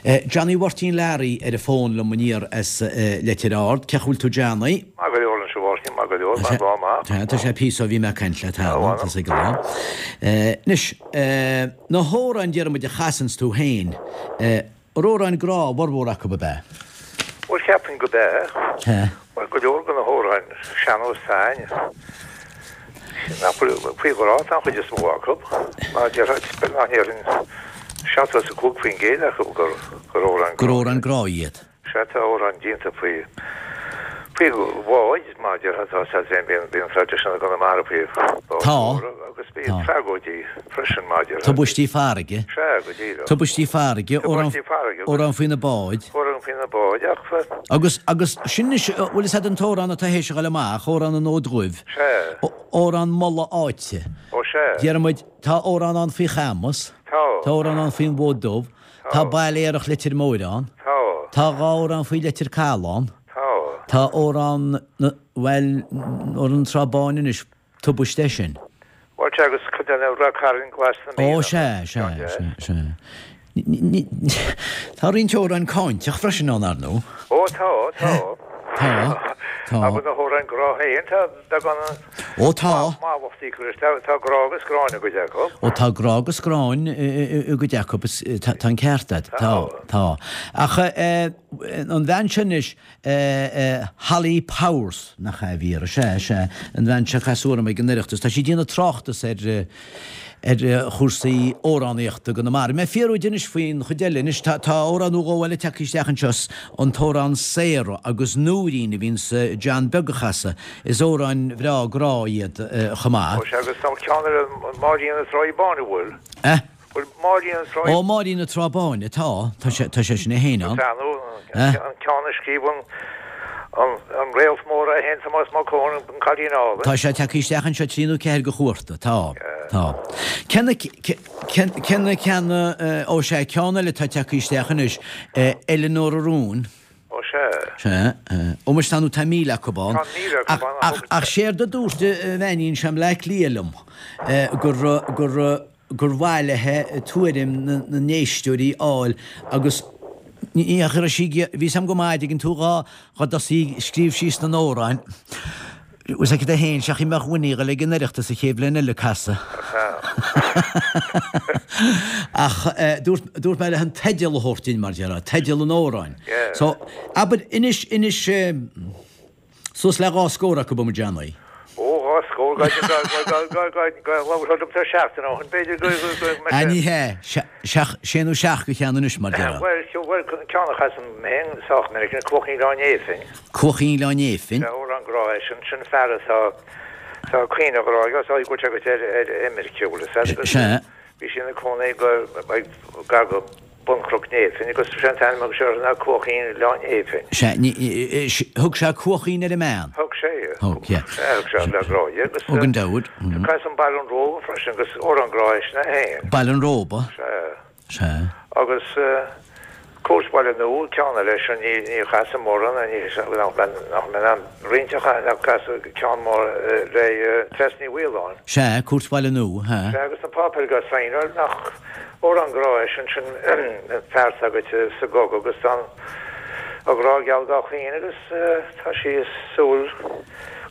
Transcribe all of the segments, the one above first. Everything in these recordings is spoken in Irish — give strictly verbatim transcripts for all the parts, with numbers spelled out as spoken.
Johnny Mháirtín Learaí ar an bhfón liom aniar as Leitir Ard. Cén chaoi a bhfuil tú Johnny? Maith go leor anseo Mháirtín, maith go leor, maith lá maith. Tá, tá sé píosa ó bhí mé ag caint leat cheana, tá sé go lá. Anois, na hamhráin déarfaidh muid a chasanns tú féin, amhráin grá a bhformhór acu ab ea? Bhuel, cheapfainn go b'ea. Sea. Bhuel, go leor de na hamhráin sean-nós féin, nach bhfuil faoi ghrá atá an chuid is mó acu. Mar a déarfá, nach ndéarfainn seachtó is a cúig faoin gcéad acu gur gur amhráin Gur amhráin grá iad. Sea, tá amhráin déanta faoi faoi bháid, mar a déarfá, tá sé féin, bíonn bíonn traidisiún i gConamara faoi bháid Tá. mhóra agus bíonn Tá. tragóidí freisin, mar a déarfá. Tubaistí farraige. Sea, go díreach. Tubaistí farraige, amhrán Tubaistí farraige agus. amhrán faoi na báid. Amhrán faoi na báid ach. Agus, agus sin anois, bhfuil fhios a'd an t-amhrán atá théis a ghoil amach, amhrán an Fhóid Dhuibh. Sea. Amhrán moladh áite. Ó sea. Déarfaidh muid, tá amhrán ann faoi Chamus. Tá. Tá amhrán ann faoin bhFód Dubh. Tá Baile Aerach Leitir Móir ann. Tá. Tá dhá amhrán faoi Leitir Caladh ann. Tá. Tá amhrán na, bhuel, amhrán na Trá Báine anois, tubaiste é sin. Bhuel, sea, agus cuid de na Ráth Cairn Glas na Mí Ó, ann. sea, sea, sea, sea. Tá roinnt amhráin cáinteach freisin ann, ar ndóigh. Ó, tá, tá. Tá, tá. Agus na hamhráin grá féin, tá beagán Ó, tá. mallachtaí acu, tá, tá grá agus gráin i gcuid acu. Ó, tá grá agus gráin i gcuid acu, tá, tá an ceart agat, tá, tá. Ach an bhean sin anois, Holly Powers, nach ea a bhí uirthi, sea, sea, an bhean seo a casadh orm ag an Oireachtas, tá sí ag déanamh tráchtas ar, ar chúrsaí amhránaíochta i gConamara. Mé ag fiafraí di anois faoin chuid eile. Anois tá tá amhrán nó dhó eile tagtha isteach anseo, an t-amhrán Sarah agus Nóirín a bhíonns John Beag a chasadh. Is amhráin bhreá grá iad chomh maith. Ó sea, agus tá ceann eile, Máirín na Tráí Báine, bhfuil? Eh? Bhfuil Máirín na Tráí. Ó, Máirín na Trá Báine, tá, tá sé tá sé sin é féin ann. Tá, nó an ceann a scríobh an An réalt mór é féin, Tomás Mac Eoin, an cailín álainn. Tá sé tagtha isteach anseo trí nó ceathair de chuarta. Tá. Tá. Cé na, cé na ceanna, ó sea, ceann eile atá tagtha isteach anois, Eileanóir Rún. Ó sea. Sea. Ó muis tá nó tá míle acu ann. Tá míle acu ann. Ach, ach séard a dúirt an bheainín seo i mBleá Cliath liom, gur, gur, gur mhaith léithe tuairim na n-éisteoirí a fháil agus ní raibh sí ag, bhí 's a'm go maith, dtuigeann tú, dhá dhá dtosaí ag scríobh síos na n-amhráin, bhfuil 's aici féin, seachas mbeadh Winnie ag dul ag an Oireachtas an chéad bhliain eile ag casadh. Ach dúirt dúirt mé léi an teideal a thabhairt dinn, mar déarfá, teideal an amhráin. So, abair, inis, inis, Suas le dhá scór acu ba Johnny. Ó, dhá scór, labharfá liomsa seachtain ó shin, b'fhéidir go mbeadh Ah, ní hea, sé nó seacht de cheann anois, mar déarfá. Bhuel, bhuel, ceann a chasaim féin sách minic, Cuach Oileán Néifinn. Cuach Oileán Néifinn. Sea, amhrán grá é sin, sin fear atá, tá caoineadh grá aige, tá ag goil ar, ar imirce, bhfuil fhios agat. Sea. Bhí sí ina cónaí go, gar go Bun Chnoc Néifinn agus sé an t-ainm a thug sé uirthi ná Cuaichín Oileán Néifinn. Sea, ní, thug sé Cuaichín ar an mbean. Thug sé. Thug, yeah. Sea, thug sé le grá di agus. Thug an deabhad. Casaim Baile an Róba freisin agus amhrán grá é sin é féin. Baile an Róba. Sea. Sea. Agus Cúirt Bhaile Nua, ceann eile sin, ní, ní chasaim mórán, ní, nach mbeinn, nach mbeinn in ann roinnt a cha, casadh ceann mór le Treasa Ní Mhaoláin. Sea, Cúirt Bhaile Nua, sea. Sea, agus na páipéir go sainiúil nach. Amhrán grá é sin, sin fear s'agat sa gcogadh agus tá a ghrá geal dá chaoineadh agus tá sí ag súil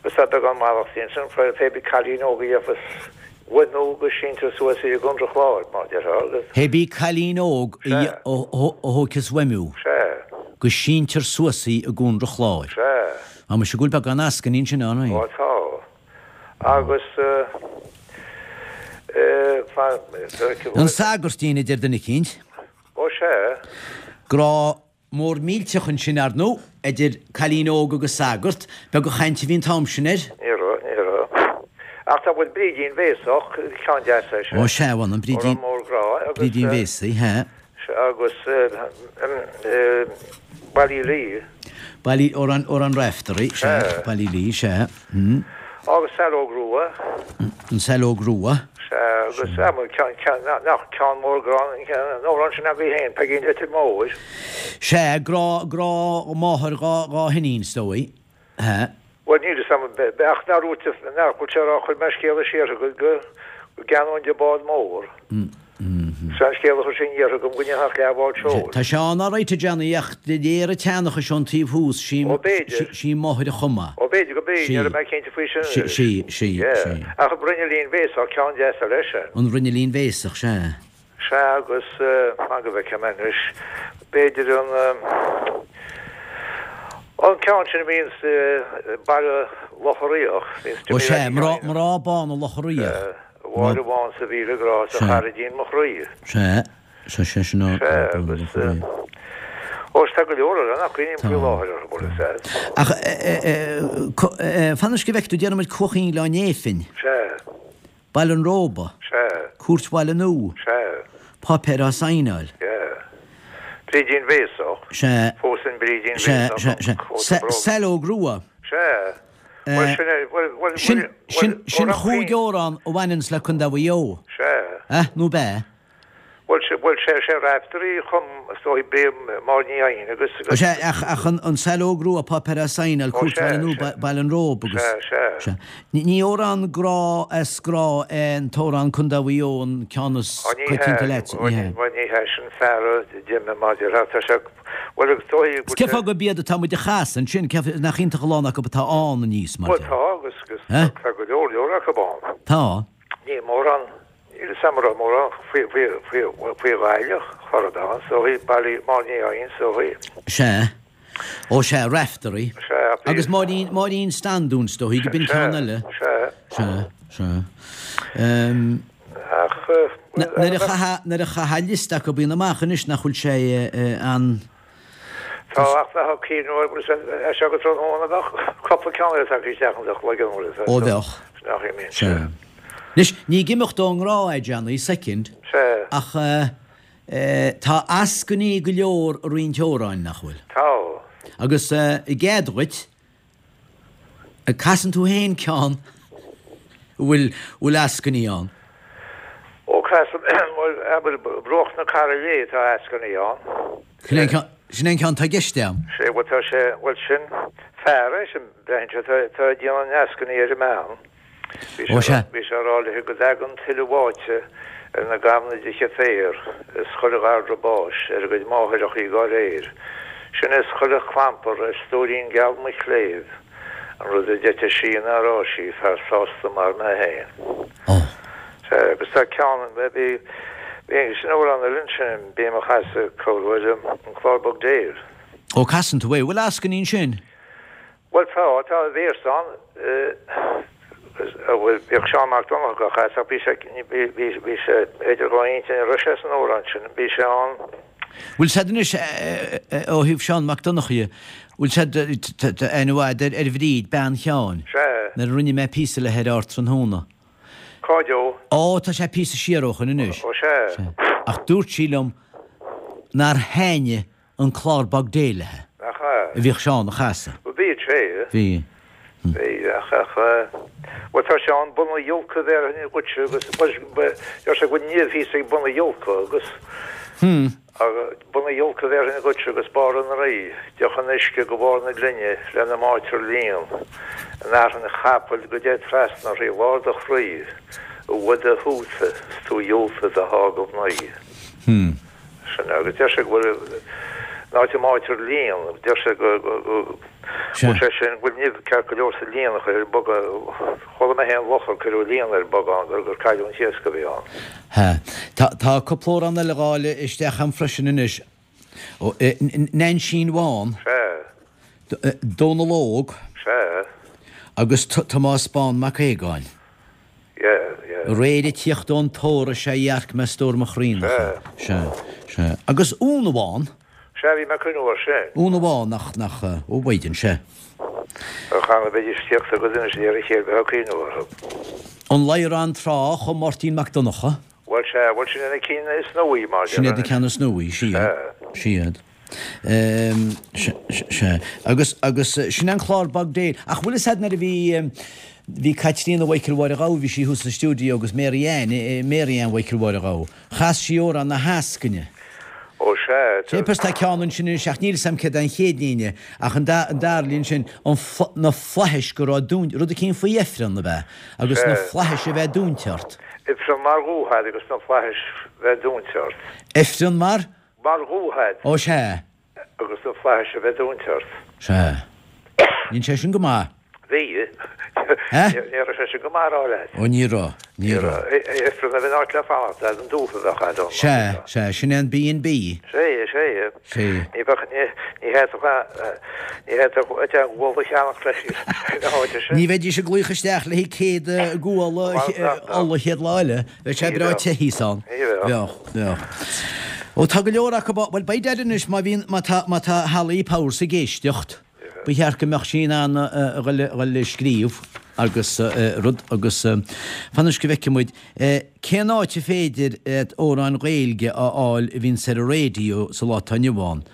agus tá beagán mallachtaí ansin faoi pé bí cailín óg a gheofas uaim nó go síntear suas í i gContae an Chláir, mar a déarfá, agus. Pé bí cailín óg a thógfas uaim thú. Sea. Go síntear suas í i gContae an Chláir. Sea. Tá mise go bhfuil beagán eascainí ansin ann. Ó tá. Agus. An Sagairtín, a deir duine eicínt. Ó sea. Grá mór millteach ansin, ar ndóigh, idir cailín óg agus sagart. Beag an chaint a bhí an t-am sin air. Ní raibh, ní raibh. Ach tá bhfuil Brídín Bhéasach, ceann deas é sin. Ó sea, bhuel, an Brídín. Amhrán mór grá agus. Brídín Bhéasaí, sea. Agus Ballylee. Baile, Amhrán, Amhrán Raiftearaí, sea, Ballylee, sea. Agus Saileog Rua. An Saileog Rua. Sea, agus ceann, ceann, nach ceann mór grá an amhrán sin agaibh féin, Peigín Leitir Móir. Sea, grá, grá máthar dhá, dhá hiníon, is dóigh. Sea. Bhuel, níl fhios a'm, ach nár dhúirt, nach bhfuil sé a rá, chuir mé scéala siar go, go, go gceannóinn di bád mór. Sin an scéal a chuir sé aniar chugam go ndéanfadh leathbhád seoil. Tá sé ann alright a Johnny ach de réir an tseanchais ón taobh thuas sí Ó, b'fhéidir. sí máthair a chum é. Ó, b'fhéidir go b'é, Sí. ní raibh mé cinnte faoi sin. Sí, sí, sí, Yeah. sí. Ach an Bruinneallín Bhéasach, ceann deas eile sin. An Bruinneallín Bhéasach, sea. Sea agus fan go bhfeicfidh mé anois, b'fhéidir an an ceann sin a bhíonns Baile Locha Riach, bhíonns Ó Jimmy sea, Reilly mná, Ryan. mná bána Locha Riach. A Mháire bhán 's a mhíle grá 's a Sea. charaidín mo chroí. Sea, sea, sea, sin Sea, agus ó tá go leor eile nach cuimhním faoi láthair orthu, bhuel is ea. Ach fan anois go bhfeicfidh tú, déanfaidh muid Cuaichín Ghleann Néifinn. Sea. Baile an Róba. Sea. Cúirt Bhaile Nua. Sea. Páipéir á saighneáil. Yeah. Brídín Bhéasach. Sea. Phósfainn Brídín Sea, Bhéasach. sea, sea. Cóta bróg. Saileog Rua. Sea. Bhuel, sin é, bhuel, bhuel, Sin, bhuel, sin, bhuel, sin amhrán chúig cruinn. amhrán a bhaineanns le Contae Mhaigh Eo. Sea. Eh, nó b'ea? Bhuel, sé, bhuel, sé, sé Raiftearaí a chum, is dóigh, Bríd Máire Ní Eidhin agus, agus. Sea, ach, ach an, an Saileog Rua, Páipéir á Saighneáil, Ó, Cúirt sea, Bhaile Nua, sea. Ba- Baile an Róba agus. Sea, sea. Sea. Ní, ní amhrán grá as grá é an t-amhrán Contae Mhaigh Eo an ceann is Ó, ní coitianta hea, leat, ó, ní ní, hea. bhuel, ní hea, sin fear a d'imigh mar a déarfá, tá sé, bhuel, agus dóigh go Is cén fáth gurb iad atá muid a chasadh ansin, cé nach iontach a lán acu atá ann aníos, mar Bhuel, deir. tá, agus, agus Eh? tá go leor leor acu ann. Tá. Ní mórán, níl 'fhios a'm an raibh mórán faoi, faoi, faoi, faoi Ghaillimh, chor ar bith, so bhí Baile Máire Ní Eidhin, so bhí. Sea. Ó sea, Raiftearaí. Sea, bhí. Agus Máirín, Máirín Standún, is dóigh, go b'in Sea, ceann eile. sea. Sea, sea. Ehm, Ach, eh, na- nuair a chaithfeá, nuair a chaithfeá liosta acu bíonn amach anois nach bhfuil sé, eh, eh, an. Tá ach bheadh cinn uair, bhuel, é seo go tráthnóna bheadh cúpla ceann eile tagtha isteach an chloigeann, bhuel, is Ó, bheadh. Nach é mín. Sea. Anois, ní ag imeacht ón ngrá é, Johnny, soicind. Sea. Ach, eh, eh, tá eascainí go leor i roinnt amhráin, nach bhfuil? Tá. Agus, eh, i gcead dhuit, eh, casann tú féin ceann a bhfuil, bhfuil eascainí ann. Ó, casaim, bhuel, abair, Bruach na Carra Léith, tá eascainí ann. Sin é an ceann, sin é an ceann atá i gceist agam. Sé, bhuel, tá sé, bhuel, sin fear é, sin, braitheann sé, tá, tá ag déanamh an eascainí ar an mbean. Bhí Ó, sé, sea. bhí sé ag rá léi go dtagann tuile bháite ar na gamhna de féar is chuile ghadhar báis ar a gcuid máithreachaí dhá réir. Sin is chuile chlampar ar stóirín geal mo chléibh, an rud a d'eitigh sí ná raibh sí fear sásta mar mé féin. Ó. Sea, agus tá ceann, bhí, bhí, sin amhrán eile ansin, bím á chasadh corruair, an Clár Bog Déil. Ó, casann tú é, bhfuil eascainí ansin? Bhuel, tá, tá véarsa ann, a bhfuil, bhíodh Seán Mac Donncha á chasadh, ach bhí sé, bhí, bhí, bhí sé idir dhá intinn ar sé san amhrán sin, bhí sé ann. Bhfuil sé anois, ó thaobh Seán Mac Donncha, bhfuil sé aithne mhaith ar, ar Bhríd, bean Sheáin? Sea. Nuair a rinne mé píosa léi ar tráthnóna. Cá deo? Ó, tá sé píosa siar ó shoin anois. Ó, sea. Sea. Ach dúirt sí liom nár thaitnigh an Clár Bog Dé léi. Nach ea? A bhíodh Seán a chasadh. Bhuel, bhí sé. Bhí. Bhí, ach, ach, bhuel, tá sé ann bun an ghiolca bhéarfainn dhuitse agus, bhuel, deir sé go bhfuil nimh thíos ag bun an ghiolca agus, Hmm. agus bun an ghiolca bhéarfainn dhuitse agus barr an rí, deoch an uisce go barr na glinne lena mbáitear líon, an fhearthainn chapaill go dté trasna thrí lár do chroí, i bhfad a shúta 's tú dhiúlta do shá go mnaoi. Hmm. Sin agus deir sé go bhfuil an áit a mbáitear líon, deir sé go, go, go, Sea. bhfuil sé sin, go bhfuil nimh ceart go leor sa líon a chuir ar bogán, chuala mé féin luch ar cuireadh líon ar bogán gur, gur cailleadh an t-iasc a bhí ann. Ha. Tá, tá cúpla amhrán eile a fháil isteach a'm freisin anois. Ó, eh, N-, Neainsín Bhán. Sea. D-, eh, Dónal Óg. Sea. Agus T-, Tomás Bán Mac Aogáin. Yeah, yeah. Aréir ag tíocht ón tóir is ea dhearc mé stór mo chroí. Sea. Sea, sea. Agus Úna Bhán. Sea, bhí mé ag cuimhneamh air sin. Úna Bhán nach, nach, eh, ó Biden, sea. Ar chan a bheidís tíocht agus inis ar a chéile bheith ag cuimhneamh orthu. An Ladhrán Trá ó Máirtín Mac Donncha. Bhuel, sea, bhuel, sin na cinn is nuaí, mar Sin iad na ceann is nuaí, sea. Sea. Siad. Ehm, se-, se-, sea. Agus, agus, eh, sin an Clár Bog Déil. Ach bhfuil fhios a'd nuair a bhí, ehm, bhí Caitríona Mhichael Mháire Ghabha, bhí sí thuas sa stiúideo agus Mary Ann, eh, eh, Mary Ann Mhichael Mháire Ghabha. Chas sí amhrán na heascaine. Ó, sea, Sé pers tá ceann ansin anois, ach níl fhios a'm céard an chéad líne, ach an da-, an dara líne sin, an fla-, na flaithis go raibh dún-, rud eicínt faoi ifreann a bheith, agus na Sea. flaithis a bheith dúnta ort. Ifreann mar dhúthaigh a'd agus na flaithis bheith dúinte ort. Ifreann mar? Mar dhúthaigh a'd. Ó sea. Agus na flaithis a bheith dúinte ort. Sea. Níl sé sin go maith. Bhí. Ní raibh sé sin go maith a rá leat. Ó ní raibh, ní raibh. Ifreann a bheith in áit le fanacht a'd an dúthaigh a bheadh a'd ann. Sea, sea, sin é an B and B. Sea, sea. Sea. Ní bheadh, ní fhéadfadh, ní fhéadfadh deich guala a cheannach leis na háite sin. Ní bheidís ag glaoch isteach le haghaidh céad guala ola an chéad lá eile. Bheadh sé breá te thíos ann. Bheadh, bheadh. Ó tá go leor acu, bhuel beidh Daid anois má bhíonn, má tá, má tá Holly Powers ag éisteacht, ba cheart go mbeadh sí in ann a dhul a scríobh agus rud agus fan anois go bhfeicfidh muid cén áit a féidir amhráin Ghaeilge a fháil a bhíonns ar an raidió sa lá atá inniu ann.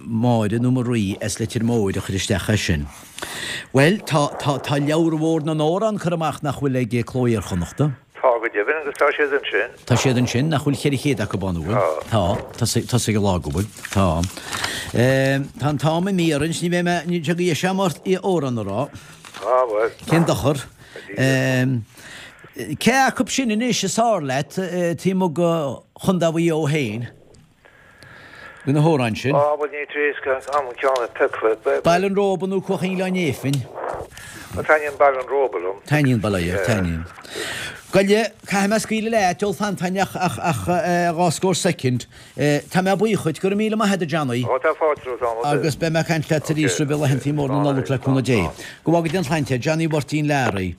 Máire nó Marie as Leitir Móir a chuir isteach é sin. Bhuel, tá, tá, tá leabhar mhór na n-amhrán curtha amach nach bhfuil ag Cló Iar-Chonnachta. Tá go deimhin agus tá siad ansin. Tá siad ansin, nach bhfuil ceithre chéad acu ann, an bhfuil? Tá. Tá, tosaigh an lá go bhfuil. Tá. Tá an t-am imithe orainn, ní bheidh mé, níl sé go dheis agam ort amhrán a rá. Á, bhuel. Cén dochar? Cé acu sin anois is fearr leat taobh amuigh de Chontae Mhaigh Eo féin? De na hamhráin sin. Á, bhuel, ní trí is am an ceann a piocadh. Baile an Róba nó Cuach i nGleann Néifinn? Bhuel, taitníonn Baile an Róba liom. Taitníonn Baile, yeah, taitníonn. Goile, caithfidh mé scaoileadh leat, ól Fantain ach, ach, ach dhá scór soicind. Tá mé buíoch dhuit, go raibh míle maith agat a Johnny. Ó, tá fáilte romhat am ar bith. Agus beidh mé ag caint leat arís roimh laethantaí móra na Nollag le cúnamh Dé. Go bhfága Dia an tsláinte, Johnny Mháirtín Learaí.